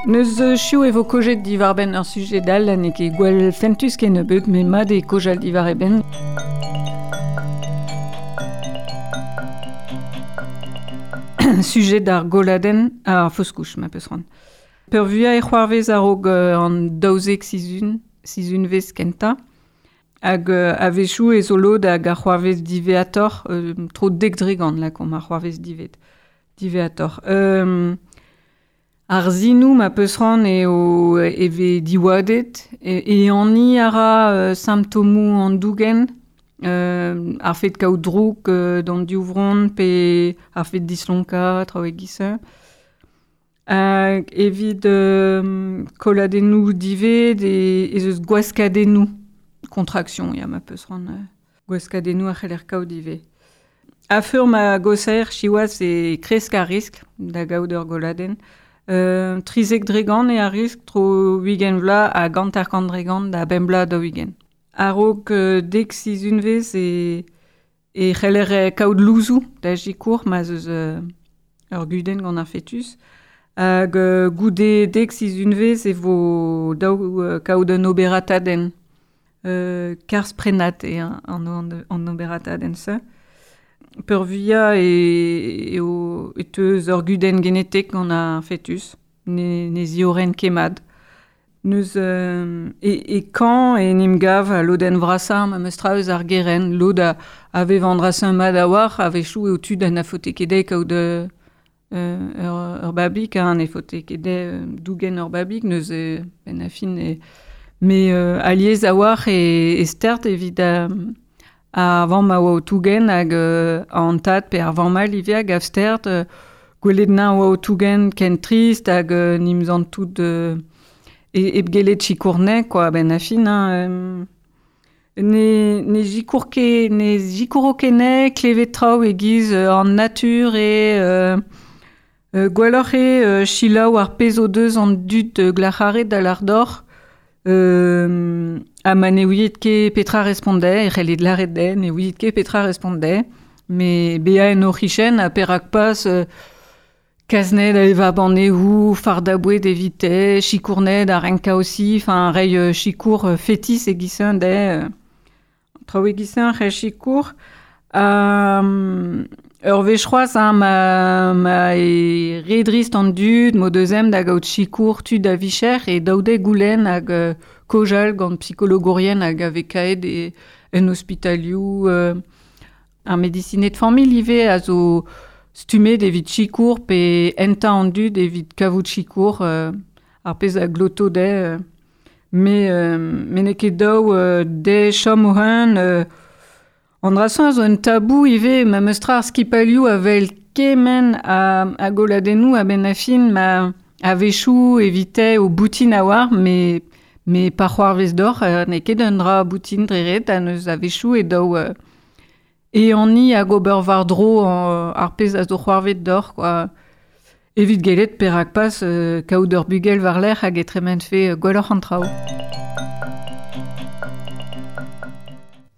Neus chiv e vo kojet diwar-benn ur sujet all ha n'eo ket gwell fentus kennebeut, met mat eo kojal diwar e benn. Sujet ar goladenn ar fausse-couche, ma peus c'hoant. Peurvuiañ e c'hoarvez a-raok an 12 sizhun, sizhunvezh kentañ. Hag a-wechoù e zo lod hag a c'hoarvez diwezhatoc'h, tro 10% lakaomp a c'hoarvez diwezhatoc'h. Ar sinoù ma peus c'hoant eo e vez diwadet, ehaniñ a ra simptomoù an dougen, ar fed kaout droug d'an divronn pe ar fed dislonkañ, traoù e-giz-se. Hag evit kolladennoù divet ez eus gwaskadennoù, contraction ya ma peus c'hoant, gwaskadennoù a c'heller kaout ivez. A-feur ma gosaer siwazh e kresk ar riskl da gaout ur golladenn. 13% eo ar riskl tro 20 vloaz hag 50% da 5 bloaz 40. A-raok 10 sizhunvezh e c'heller kaout louzoù da sikour ma'z eus ur gudenn gant ar fetus. Hag goude 10 sizhunvezh e vo dav kaout un oberatadenn. Karzh prennat eo an oberatadenn-se. Peurvuiañ eo e teu eus ur gudenn genetek gant ar fetus, ne ziorren ket mat. Neus e kañv en em gav al lodenn vrasañ memes tra eus ar gerent. Lod a vev an dra-se mat a-walc'h, a-wechoù eo tud ha na faote ket dezhe kaout ur babig, ha ne faote ket dezhe dougen ur babig, neuze benn ar fin e... Mais alies a-walc'h e stert evit ar vamm a oa o tougen hag an tad pe ar vamm all ivez a gav stert gwelet nañ oa o tougen ken trist hag n'im zantout hep gellet sikour-ne quoi benn ar fin hein. Ne sikour ket ne sikouro ket ne klevet traoù e-giz an natur eo gwelloc'h eo selaou ar pezh o deus an dud glac'haret da lâr deoc'h. Ha ma ne ouiet ket petra respont dezhe, e c'hellit lâret dezhe, ne ouiet ket petra respont dezhe, met bezañ en o c'hichen ha perak pas kas-ned da evañ banneoù, fardañ boued evite, sikour-ned a renkañ aussi, enfin reiñ sikour fetis e-giz-se dezhe. Traoù e-giz-se c'hell sikour. Ur wech c'hoazh hein, ma eo re drist an dud, m'o deus ezhomm da gaout sikour tud a-vicher e daou dezhe goulenn hag kaojal gant psikologourien hag a vez kaet en ospitalioù. Ar medisined familh ivez a zo stummet evit sikour pe hentañ an dud evit kavout sikour, ar pezh a gloto dezhe. Mais n'eo ket dav dezhe chom o-unan. An dra-se zo un tabou ivez, memes tra ar skipailhoù a wel kement a goladennoù a-benn ar fin ma a-wechoù evite o boutin a-walc'h, met pa c'hoarvez deoc'h n'eo ket un dra boutin dre ret ha neus a-wechoù e daou ehaniñ hag ober war-dro ar pezh a zo c'hoarvet deoc'h quoi. Evit gellet perak pas kaout ur bugel war-lerc'h hag e tremenfe gwelloc'h an traoù.